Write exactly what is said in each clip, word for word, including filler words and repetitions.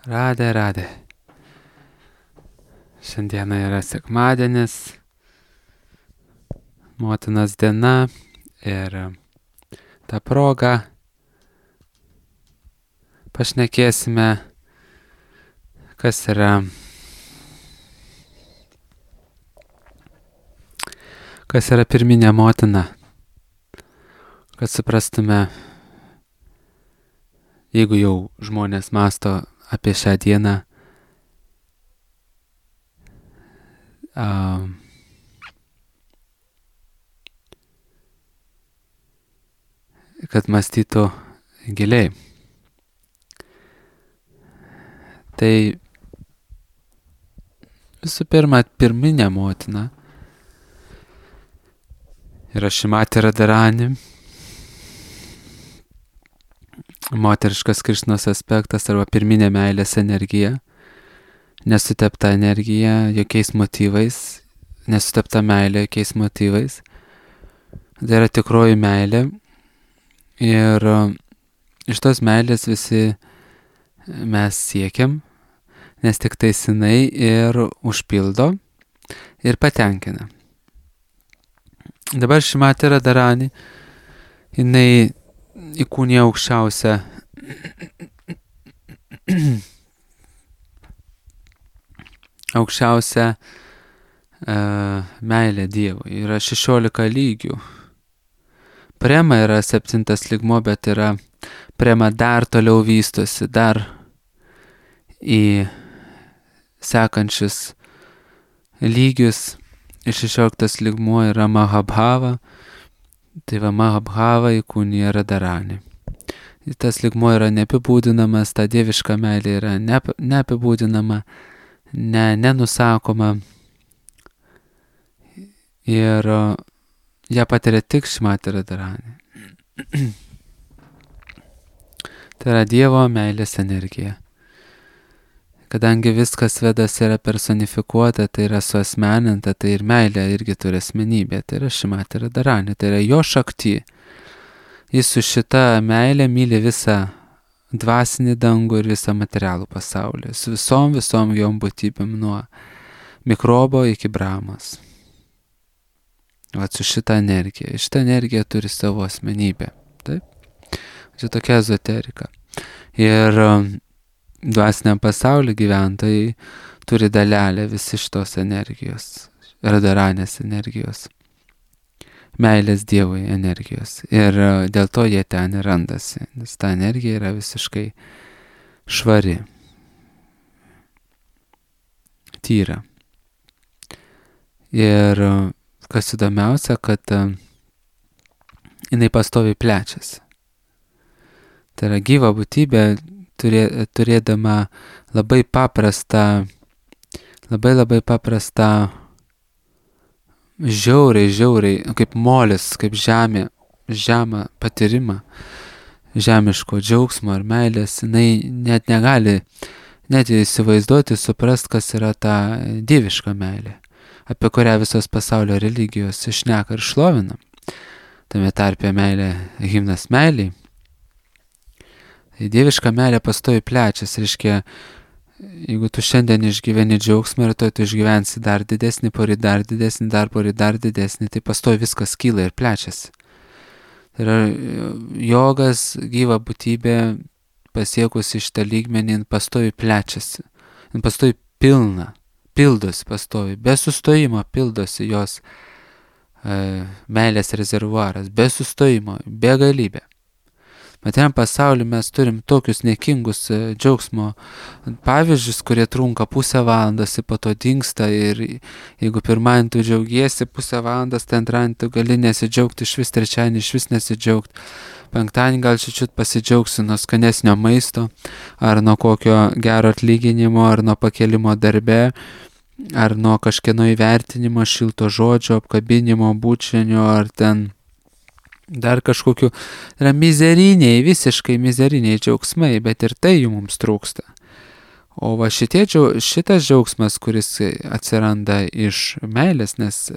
Radė, radė. Šiandieną yra sekmadienis, motinos diena ir tą progą pašnekėsime, kas yra, kas yra pirminė motina, kad suprastume, jeigu jau žmonės mąsto apie šią dieną, uh, kad mąstytų giliai. Tai visų pirma, pirminė motina yra Šrimati Radharani, moteriškas Krišnos aspektas arba pirminė meilės energija, nesutepta energija jokiais motyvais, nesutepta meilė jokiais motyvais. Tai yra tikroji meilė ir iš tos meilės visi mes siekiam, nes tik tai jinai ir užpildo ir patenkina. Dabar Šrimati Radharani, jinai įkūnija aukščiausią aukščiausią uh, meilę Dievui. Yra šešiolika lygių. Prema yra septintas lygmo, bet yra prema dar toliau vystosi, dar į sekančius lygius. Ir šešioliktas lygmuo yra Mahabhava. Tai va Mahabhava įkūnija Radharani. Tas lygmuo yra neapibūdinamas, ta dieviška meilė yra neap, neapibūdinama, ne, nenusakoma. Ir ją patiria tik Šrimati Radharani. Tai yra Dievo meilės energija. Kadangi viskas Vedas yra personifikuota, tai yra suasmeninta, tai ir meilė irgi turi asmenybę. Tai yra Šrimati Radharani, tai yra jo šakti. Jis su šita meilė myli visą dvasinį dangų ir visą materialų pasaulį. Su visom, visom jom būtybėm nuo mikrobo iki Brahmos. O su šita energija. Šita energija turi savo asmenybę. Taip? Čia tokia ezoterika. Ir dvasiniam pasaulio gyventojai turi dalelę visi šitos energijos, Radharanės energijos, meilės Dievui energijos. Ir dėl to jie ten ir randasi, nes ta energija yra visiškai švari, tyra. Ir kas įdomiausia, kad jinai pastoviai plečiasi. Tai yra gyva būtybė, Turė, turėdama labai paprastą, labai labai paprastą, žiauriai, žiauriai, kaip molis, kaip žemė, žemą patyrimą, žemiško džiaugsmo ar meilės, jinai net negali net įsivaizduoti, suprast, kas yra ta dieviška meilė, apie kurią visos pasaulio religijos išneka ir šlovina. Tame tarpe meilė, himnas meiliai. Dieviška meilė pastoviai plečiasi, reiškia, jeigu tu šiandien išgyveni džiaugsmą ir to tu išgyvensi dar didesnį, poryt dar didesnį, dar poryt dar didesnį, tai pastoviai viskas kyla ir plečiasi. Tai yra jogas, gyva būtybė, pasiekusi šitą lygmenį, pastoviai plečiasi, pastoviai pilna, pildosi pastoviai, be sustojimo pildosi jos e, meilės rezervuaras, be sustojimo, be galybė. Materiam pasaulyje mes turim tokius niekingus džiaugsmo pavyzdžius, kurie trunka pusę valandos ir po to dingsta ir jeigu pirmadienį tu džiaugiesi pusę valandos, tai antradienį tu gali nesidžiaugti, iš vis trečiadienį iš vis nesidžiaugti, penktadienį gal čiut pasidžiaugsi nuo skanesnio maisto, ar nuo kokio gero atlyginimo, ar nuo pakelimo darbe, ar nuo kažkieno įvertinimo, šilto žodžio, apkabinimo, bučinio, ar ten dar kažkokiu, yra mizeriniai, visiškai mizeriniai džiaugsmai, bet ir tai jų mums trūksta. O va šitie, šitas džiaugsmas, kuris atsiranda iš meilės, nes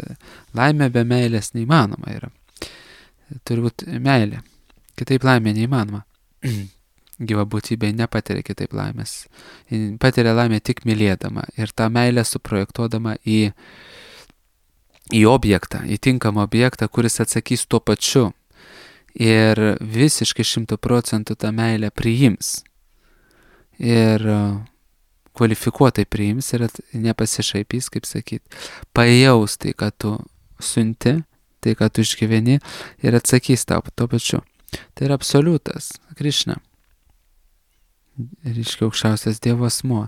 laimė be meilės neįmanoma yra. Turi būti meilė. Kitaip laimė neįmanoma. gyva būtybė nepatiria kitaip laimės. Ji patiria laimę tik mylėdama ir tą meilę suprojektuodama į, į objektą, į tinkamą objektą, kuris atsakys tuo pačiu ir visiškai šimtų procentų tą meilę priims. Ir kvalifikuotai priims ir nepasišaipys, kaip sakyt, pajaus tai, ką tu siunti, tai, ką tu išgyveni ir atsakys tau tuo pačiu. Tai yra absoliutas, Krišna. Reiškia aukščiausias Dievo asmuo.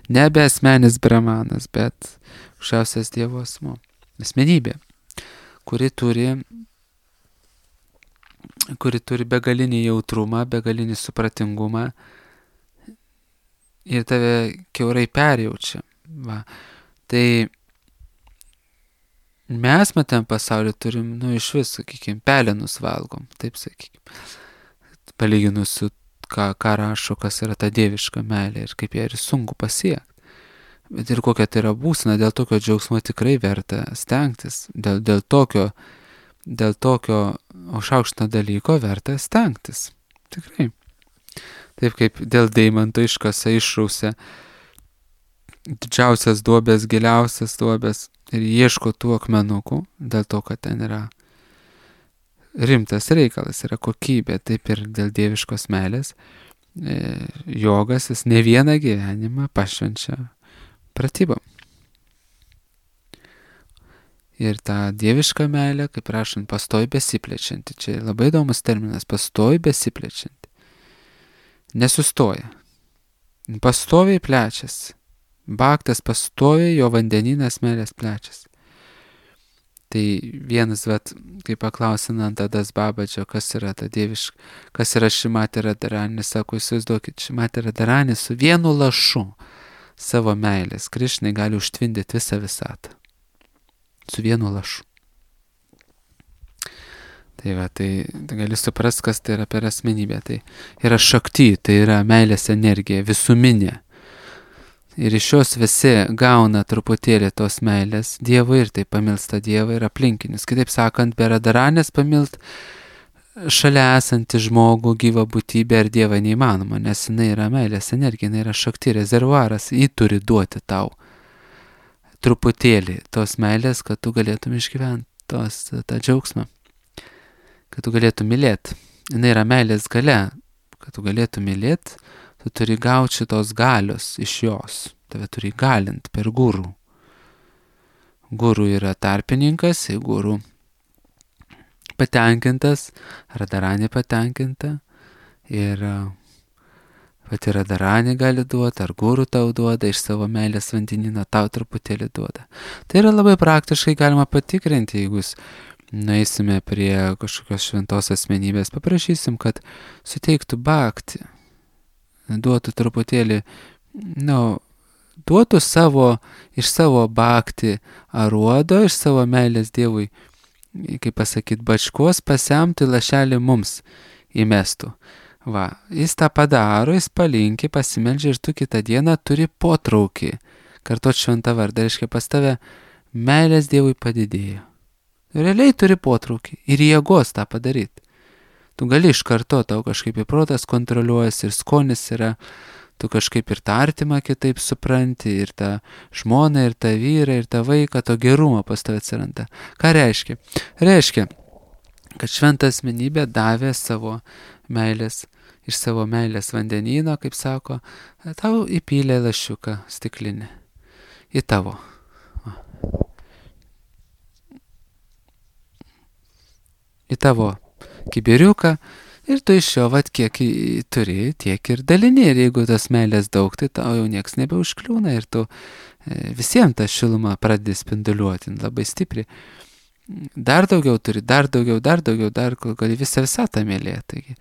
Nebe asmenis brahmanas, bet aukščiausias Dievo asmuo. Asmenybė, kuri turi, kuri turi begalinį jautrumą, begalinį supratingumą ir tave kiaurai perjaučia. Va. Tai mes matam pasaulį turim, nu, iš vis, sakykime, pelenus valgom, taip sakykime. Palyginus su ką, ką rašo, kas yra ta dieviška meilė ir kaip ją ir sunku pasiekti. Bet ir kokia tai yra būsena, dėl tokio džiaugsmo tikrai verta stengtis. Dėl, dėl tokio, dėl tokio aukštaukštino dalyko verta stengtis. Tikrai. Taip kaip dėl deimanto iškasa išrausia didžiausias duobės, giliausias duobės ir ieško tų akmenukų, dėl to, kad ten yra rimtas reikalas, yra kokybė, taip ir dėl dieviškos meilės. E, jogas jis ne vieną gyvenimą pašvenčia pratybom. Ir ta dieviška meilė, kaip rašant, pastovi besiplečianti. Čia labai įdomus terminas, pastovi besiplečianti. Nesustoja. Pastoviai plečiasi. Bhaktas pastoviai, jo vandenynas meilės plečiasi. Tai vienas, vat, kai paklausė Nandadas Babadžio, kas yra ta dieviška, kas yra Šrimati Radharani, sako, įsivaizduokit, Šrimati Radharani su vienu lašu savo meilės Krišnai gali užtvindyti visą visatą. Su vienu lašu. Tai va, tai, tai gali suprast, kas tai yra per asmenybę. Tai yra šakti, tai yra meilės energija, visuminė. Ir iš jos visi gauna truputėlį tos meilės Dievui ir tai pamilsta Dievą ir aplinkinius. Kitaip sakant, be Radharanės pamilt šalia esantį žmogų, gyvą būtybę ir Dievą neįmanoma, nes jinai yra meilės energija, jinai yra šakti rezervuaras, jį turi duoti tau truputėlį tos meilės, kad tu galėtum išgyventi tos, tą džiaugsmą, kad tu galėtum mylėti. Jinai yra meilės galia, kad tu galėtum mylėti, tu turi gauti šitos galios iš jos, tave turi galint per gurų. Gurų yra tarpininkas, jei gurų patenkintas, Radharani patenkinta ir pati Radharani gali duoti, ar gurų tau duoda, iš savo meilės vandenyno tau truputėlį duoda. Tai yra labai praktiškai galima patikrinti, jeigu nueisime prie kažkokios šventos asmenybės, paprašysim, kad suteiktų bhakti, duotų truputėlį, nu, duotų savo, iš savo bhakti aruodo, iš savo meilės Dievui, kaip pasakyt, bačkos pasemtų lašelį mums įmestų. Va, jis tą padaro, jis palinkė, pasimeldžia ir tu kitą dieną turi potraukį. Kartuot šventą vardą, reiškia pas tave meilės Dievui padidėjo. Realiai turi potraukį ir jėgos tą padaryti. Tu gali iš karto, tau kažkaip į protas kontroliuojas ir skonis yra, tu kažkaip ir tą artimą kitaip supranti, ir tą žmoną, ir tą vyrą, ir tą vaiką, to gerumo pas tave atsiranda. Ką reiškia? Reiškia, kad šventa asmenybė davė savo meilės, iš savo meilės vandenyno, kaip sako, tau įpylė lašiuką stiklinį. Į tavo. Į tavo kibiriuką ir tu iš jo, vat, kiek turi, tiek ir dalini. Ir jeigu tas meilės daug, tai tau jau nieks nebeužkliūna ir tu visiems tą šilumą pradedi spinduliuoti labai stipriai. Dar daugiau turi, dar daugiau, dar daugiau, dar gali visą visatą mylėti. Taigi,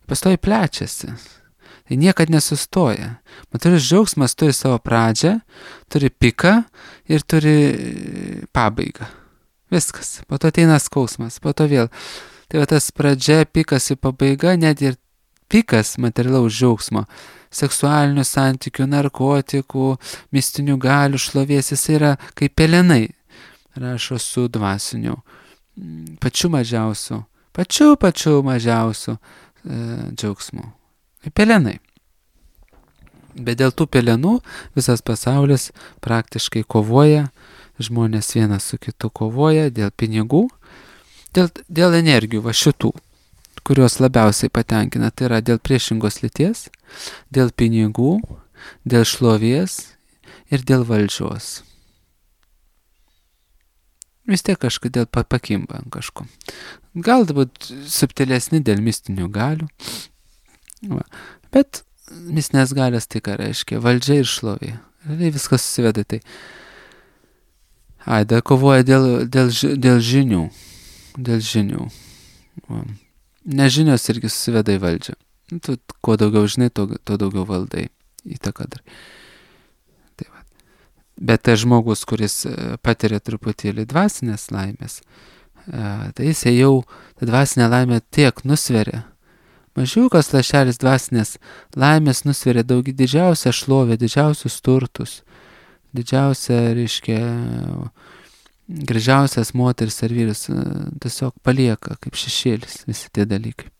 pastoji plečiasi. Tai niekad nesustoja. Materialus džiaugsmas turi savo pradžią, turi piką ir turi pabaigą. Viskas. Po to ateina skausmas, po to vėl. Tai va tas pradžia, pikas ir pabaiga, net ir pikas materialaus džiaugsmo, seksualinių santykių, narkotikų, mistinių galių, šlovės, jis yra kaip pelenai, rašo su dvasiniu, pačiu mažiausiu, pačiu pačiu mažiausiu e, džiaugsmu. Kaip pelenai. Bet dėl tų pelenų visas pasaulis praktiškai kovoja, žmonės vienas su kitu kovoja dėl pinigų, dėl, dėl energijų, va šitų, kurios labiausiai patenkina. Tai yra dėl priešingos lyties, dėl pinigų, dėl šlovės ir dėl valdžios. Vis tiek kažkodėl pakimba ant kažko. Galbūt subtilesni dėl mistinių galių. Va. Bet mistinės galios tai ką reiškia? Valdžia ir šlovė. Realiai viskas susiveda tai. Aida kovoja dėl, dėl, dėl žinių. Dėl žinių. Va. Nežinios irgi susiveda į valdžią. Tu kuo daugiau žinai, tuo, tuo daugiau valdai. Įtaką dar. Tai va. Bet tai žmogus, kuris patiria truputėlį dvasinės laimės, tai jis jau tą dvasinę laimę tiek nusveria. Mažiukas lašelis dvasinės laimės nusveria daug didžiausią šlovę, didžiausius turtus, didžiausią, reiškia, gražiausias moteris ar vyras, tiesiog palieka kaip šešėlis visi tie dalykai.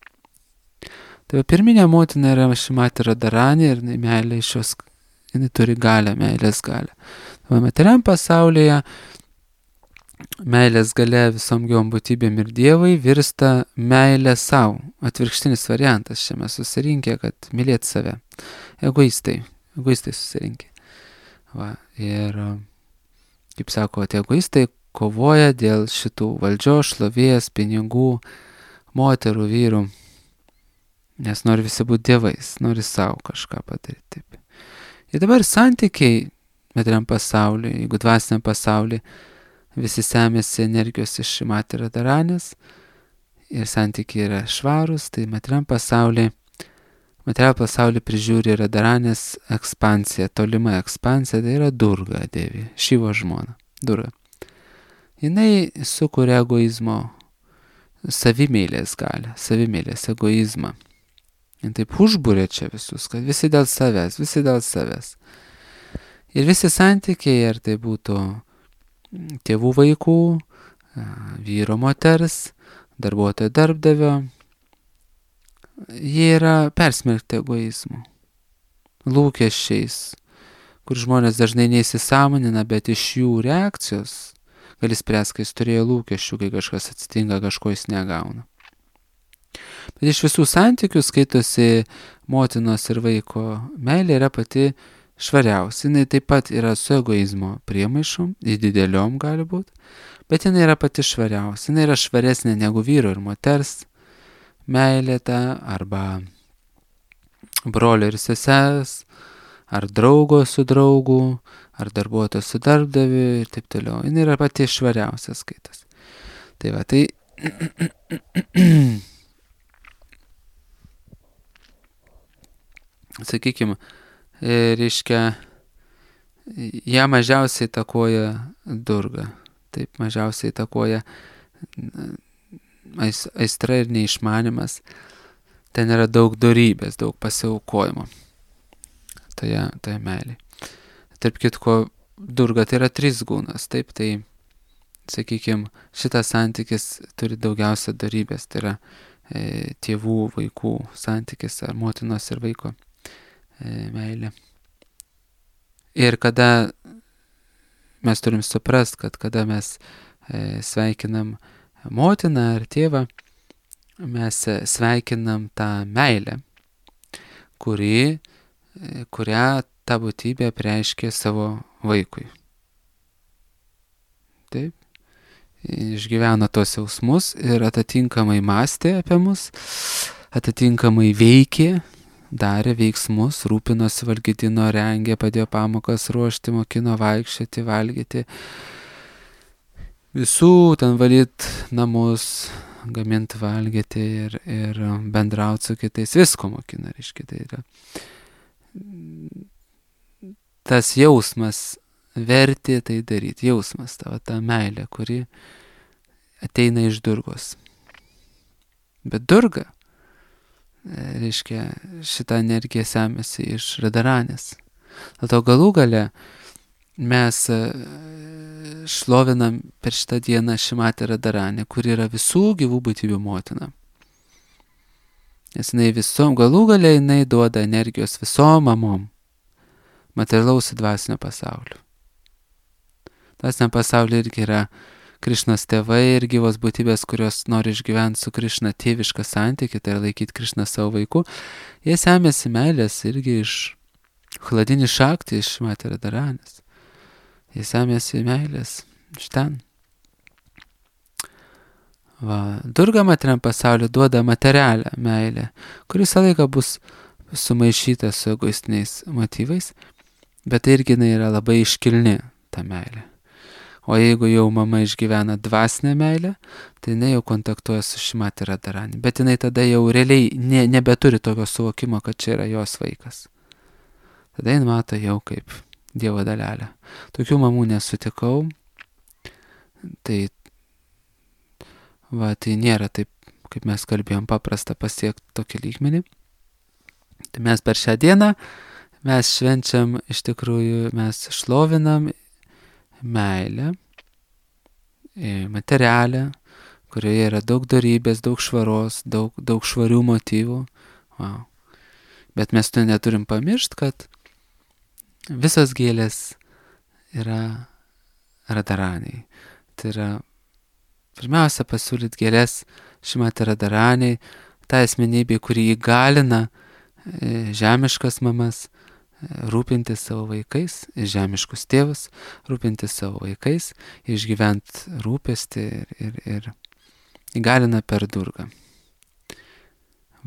Tai pirminė motina yra Šrimati Radharani ir meilė iš jos, jinai turi galę, meilės galę. Tai materialiam pasaulyje meilės galia visom gyvom būtybėm ir Dievui virsta meilė savo. Atvirkštinis variantas čia mes susirinkę, kad mylėti save. Egoistai. Egoistai susirinkę. Va, ir, kaip sako, tie egoistai kovoja dėl šitų valdžios, šlovės, pinigų, moterų, vyrų. Nes nori visi būti dievais, nori savo kažką padaryti. Taip. Ir dabar santykiai materialiam pasaulyje, jeigu dvasiniam pasaulyje, visi semėsi energijos iš Šrimati Radharanės ir santykiai yra švarūs, tai materialiam pasaulyje, materialiam pasaulyje prižiūri Radharanės ekspansija, tolima ekspansija, tai yra Durga Devi, Šivo žmona, Durga. Jinai sukuria egoizmo, savimėlės galią, savimėlės egoizmą. Ir taip užbūrė čia visus, kad visi dėl savęs, visi dėl savęs. Ir visi santykiai, ar tai būtų tėvų vaikų, vyro moters, darbuotojo darbdavio, jie yra persmelkti egoizmu, lūkesčiais, kur žmonės dažnai neįsisąmonina, bet iš jų reakcijos gali spręs, kai jis turėjo lūkesčių, kai kažkas atsitinka, kažko jis negauna. Bet iš visų santykių skaitosi motinos ir vaiko meilė yra pati švariausia. Jinai taip pat yra su egoizmo priemaišom, dideliom gali būti, bet jinai yra pati švariausia. Jinai yra švaresnė negu vyro ir moters meilė ta, arba brolio ir sesers, ar draugo su draugu, ar darbuotojo su darbdaviu ir taip toliau. Jinai yra pati švariausia skaitas. Tai va, tai sakykime, reiškia, ją mažiausiai įtakoja Durga. Taip, mažiausiai įtakoja aistra ir neišmanimas. Ten yra daug dorybės, daug pasiaukojimo. Toje, toje meilėje. Tarp kitko, Durga tai yra trys gūnas. Taip, tai, sakykime, šitas santykis turi daugiausia dorybės. Tai yra e, tėvų, vaikų santykis ar motinos ir vaiko meilė. Ir kada mes turim suprast, kad kada mes sveikinam motiną ar tėvą, mes sveikinam tą meilę, kuri, kurią ta būtybė apreiškė savo vaikui. Taip. Išgyveno tos jausmus ir atitinkamai mąstė apie mus, atitinkamai veikė, darė veiksmus, rūpinosi, valgydino, rengė, padėjo pamokas ruošti, mokino vaikščioti, valgyti, visų ten valyti namus, gaminti, valgyti ir, ir bendrauti su kitais, visko mokino, reiškia. Tai yra tas jausmas vertė tai daryti, jausmas, ta, ta meilė, kuri ateina iš Durgos. Bet Durga, reiškia, šitą energiją semėsi iš Radharanės. Dėl to galų gale mes šlovinam per šitą dieną Šrimati Radharanę, kuri yra visų gyvų būtybių motina. Nes jinai visom, galų gale jinai duoda energijos visom mamom. materialaus į dvasinio pasaulio. Dvasinio pasaulio irgi yra Krišnos tėvai ir gyvos būtybės, kurios nori išgyventi su Krišna tėvišką santykį, tai yra laikyti Krišną savo vaiku. Jie semėsi meilės irgi iš Chladini Šakti, iš Matera Daranės. Jie semėsi meilės iš ten. Va, Durga materialiam pasauliu duoda materialią meilę, kuri visą laiką bus sumaišyta su egoistiniais motyvais, bet tai irgi yra labai iškilni ta meilė. O jeigu jau mama išgyvena dvasinę meilę, tai jinai jau kontaktuoja su Šrimati Radharani. Bet jinai tada jau realiai ne, nebeturi tokio suvokimo, kad čia yra jos vaikas. Tada jin mato jau kaip Dievo dalelę. Tokių mamų nesutikau. Tai, va, tai nėra taip, kaip mes kalbėjom, paprasta pasiekti tokį lygmenį. Tai mes per šią dieną, mes švenčiam, iš tikrųjų, mes šlovinam meilę, materialę, kurioje yra daug dorybės, daug švaros, daug, daug švarių motyvų. Wow. Bet mes to neturim pamiršti, kad visos gėlės yra Radharaniai. Tai yra pirmiausia pasiūlyti gėlės Šrimati Radharaniai, tą asmenybę, kuri įgalina žemiškas mamas rūpintis savo vaikais, žemiškus tėvus, rūpintis savo vaikais, išgyventi rūpestį ir, ir, ir įgalina per Durgą.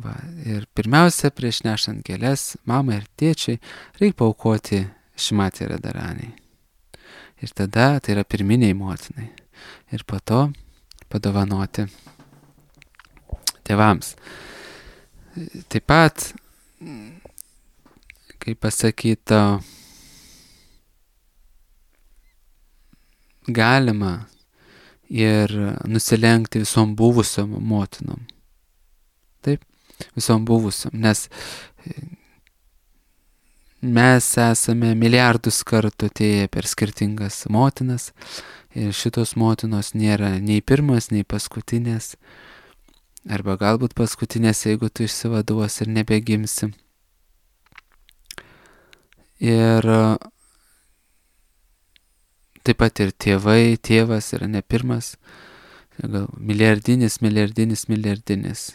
Va, ir pirmiausia, prieš nešant gėles, mamai ir tėčiai, reikia paaukoti Šrimati Radharaniai. Ir tada tai yra pirminiai motinai. Ir po to padovanoti tėvams. Taip pat, kaip pasakyta, galima ir nusilenkti visom buvusiom motinom. Taip, visom buvusiom, nes mes esame milijardus kartų atėję per skirtingas motinas ir šitos motinos nėra nei pirmas, nei paskutinės, arba galbūt paskutinės, jeigu tu išsivaduosi ir nebegimsi. Ir taip pat ir tėvai, tėvas yra ne pirmas, gal milijardinis, milijardinis, milijardinis.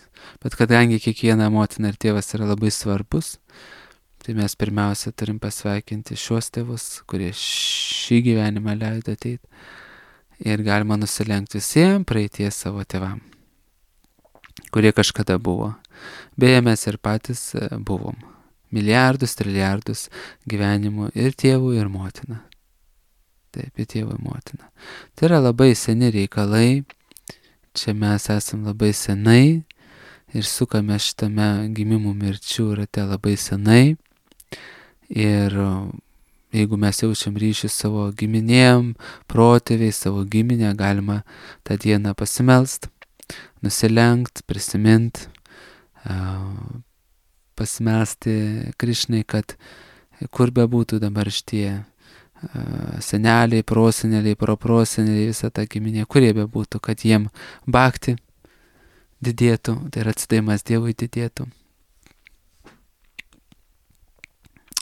Bet kadangi kiekviena motina ir tėvas yra labai svarbus, tai mes pirmiausia turim pasveikinti šios tėvus, kurie šį gyvenimą leido ateiti. Ir galima nusilenkti visiems praeities savo tėvam, kurie kažkada buvo. Beje, mes ir patys buvom. Milijardus, trilijardus gyvenimų ir tėvų, ir motina. Taip, ir tėvų, ir motina. Tai yra labai seni reikalai. Čia mes esam labai senai ir sukame šitame gimimų mirčių rate labai senai. Ir jeigu mes jaučiam ryšį savo giminėm, protėviai, savo giminę, galima tą dieną pasimelst, nusilenkt, prisimint, pasimesti Krišnai, kad kur be būtų dabar šitie seneliai, proseneliai, proproseneliai, visa ta giminė, kurie be būtų, kad jiem bhakti didėtų, tai yra atsidavimas Dievui didėtų.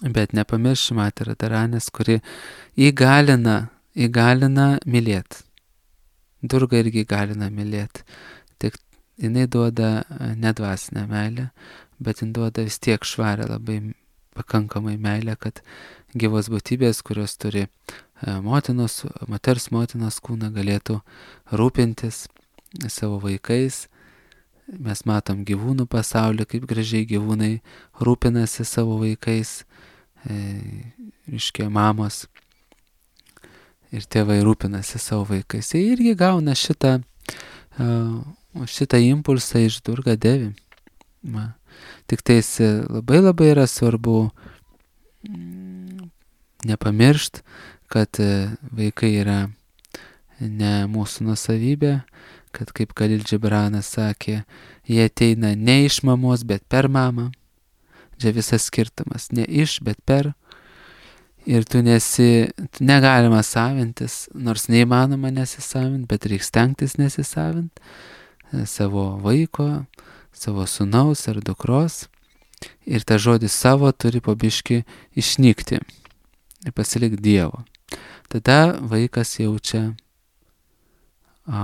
Bet nepamirš Šrimati Radharanės, kuri įgalina, įgalina mylėti. Durga irgi įgalina mylėti. Tik jinai duoda nedvasinę meilę, bet jin duoda vis tiek švarę labai pakankamai meilę, kad gyvos būtybės, kurios turi motinos, moters motinos kūną, galėtų rūpintis savo vaikais. Mes matom gyvūnų pasaulį, kaip gražiai gyvūnai rūpinasi savo vaikais, e, reiškia mamos ir tėvai rūpinasi savo vaikais. Jie irgi gauna šitą, uh, šitą impulsą iš Durga Devi. Ma. Tik tais labai labai yra svarbu mm, nepamiršt, kad vaikai yra ne mūsų nusavybė, kad kaip Khalil Gibranas sakė, jie ateina ne iš mamos, bet per mamą. Čia visas skirtumas, ne iš, bet per. Ir tu nesi, tu negalima savintis, nors neįmanoma nesisavinti, bet reikia stengtis nesisavinti savo vaiko, savo sūnaus ar dukros. Ir ta žodis savo turi po biškį išnykti. ir pasilik Dievo. Tada vaikas jaučia a,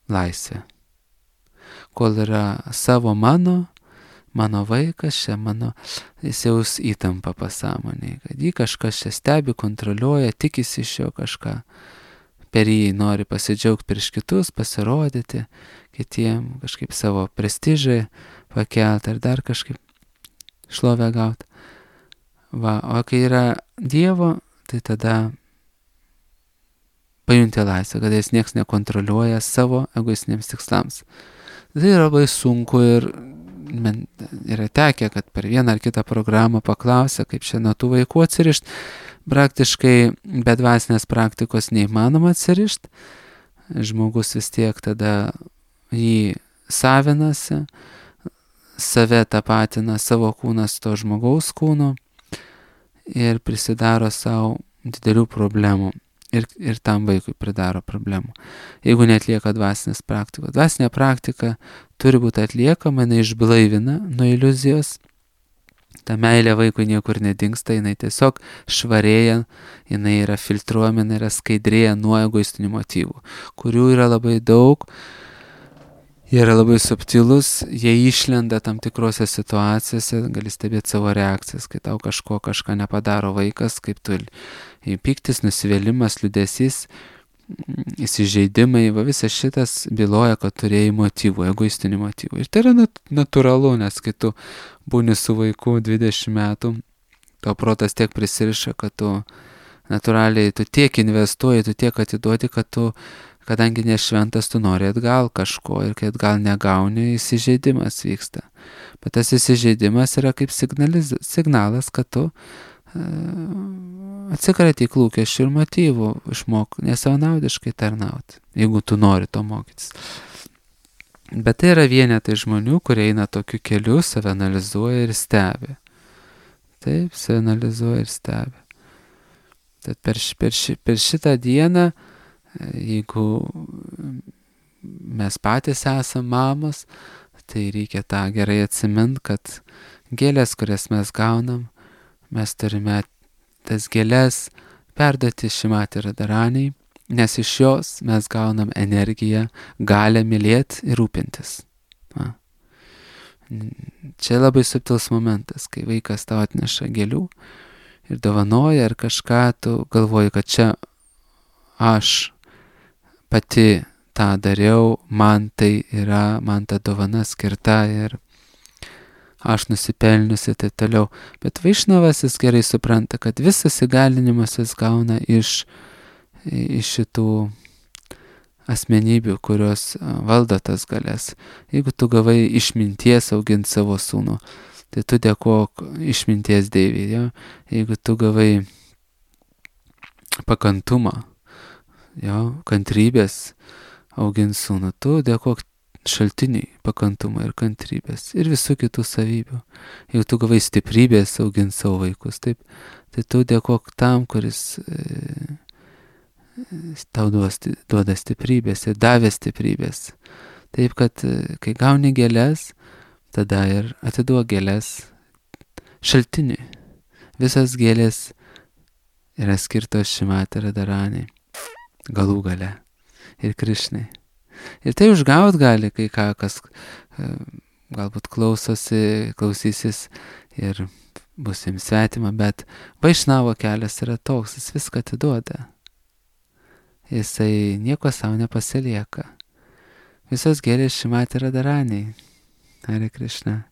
laisvę. Kol yra savo mano, mano vaikas, čia mano, jis jaus įtampa pasąmonėje, kad jį kažkas čia stebi, kontroliuoja, tikisi iš jo kažką, per jį nori pasidžiaugti prieš kitus, pasirodyti kitiem, kažkaip savo prestižai pakelti ar dar kažkaip šlovę gauti. Va, o kai yra Dievo, tai tada pajunti laisvę, kad jis nieks nekontroliuoja savo egoistiniams tikslams. Tai yra labai sunku ir man yra tekę, kad per vieną ar kitą programą paklausė, kaip čia nuo tų vaikų atsirišti. Praktiškai be dvasinės praktikos neįmanoma atsirišti. Žmogus vis tiek tada jį savinasi, save tapatina savo kūnas to žmogaus kūno ir prisidaro savo didelių problemų. Ir, ir tam vaikui pridaro problemų. Jeigu neatlieka dvasinės praktikos. Dvasinė praktika turi būti atliekama, jinai išblaivina nuo iliuzijos. Ta meilė vaikui niekur nedingsta, jinai tiesiog švarėja, jinai yra filtruojama, jinai yra skaidrėja nuo egoistinių motyvų, kurių yra labai daug. Jie yra labai subtilus, jie išlenda tam tikrose situacijose, gali stebėti savo reakcijas, kai tau kažko kažką nepadaro vaikas, kaip tu pyktis, nusivylimas, liūdesys, įsižeidimai, va visas šitas byloja, kad turėjai motyvų, egoistinių motyvų. Ir tai yra nat- natūralu, nes kai tu būni su vaiku dvidešimt metų, tau protas tiek prisiriša, kad tu natūraliai, tu tiek investuoji, tu tiek atiduodi, kad tu kadangi nešventas, tu nori atgal kažko ir kai atgal negauni, įsižeidimas vyksta. Bet tas įsižeidimas yra kaip signaliz, signalas, kad tu uh, atsikratyk lūkesčių ir motyvų, išmok nesavanaudiškai tarnauti, jeigu tu nori to mokytis. Bet tai yra vienetai žmonių, kurie eina tokiu keliu, save analizuoja ir stebi. Taip, save analizuoja ir stebi. Tad per, ši, per, ši, per šitą dieną, jeigu mes patys esam mamos, tai reikia tą gerai atsimint, kad gėlės, kurias mes gaunam, mes turime tas gėlės perduoti Šrimati Radharaniai, nes iš jos mes gaunam energiją, galę mylėti ir rūpintis. Na. Čia labai subtilus momentas, kai vaikas tau atneša gėlių ir dovanoja ar kažką, tu galvoji, kad čia aš pati tą dariau, man tai yra, man ta dovana skirta ir aš nusipelniusi ir taip toliau. Bet Vaišnavas jis gerai supranta, kad visas įgalinimas jis gauna iš, iš šitų asmenybių, kurios valdo tas galias. Jeigu tu gavai išminties auginti savo sūnų, tai tu dėkok išminties Deivei. Ja? Jeigu tu gavai pakantumą, jo, kantrybės augint sūnų, tu dėkok šaltiniai pakantumą ir kantrybės ir visų kitų savybių. Jeigu tu gavai stiprybės augint savo vaikus, taip, tai tu dėkok tam, kuris e, tau duos, duoda stiprybės ir davė stiprybės. Taip, kad e, kai gauni gėlės, tada ir atiduok gėlės šaltiniui. Visas gėlės yra skirtos Šrimati Radharaniai, galų gale ir Krišnai. Ir tai užgaut gali kai ką, kas galbūt klausosi, klausysis ir bus jiems svetima, bet Vaišnavo kelias yra toks, jis viską atiduoda. Jisai nieko savo nepasilieka. Visos gėlės Šrimati Radharaniai. Hare Krishna.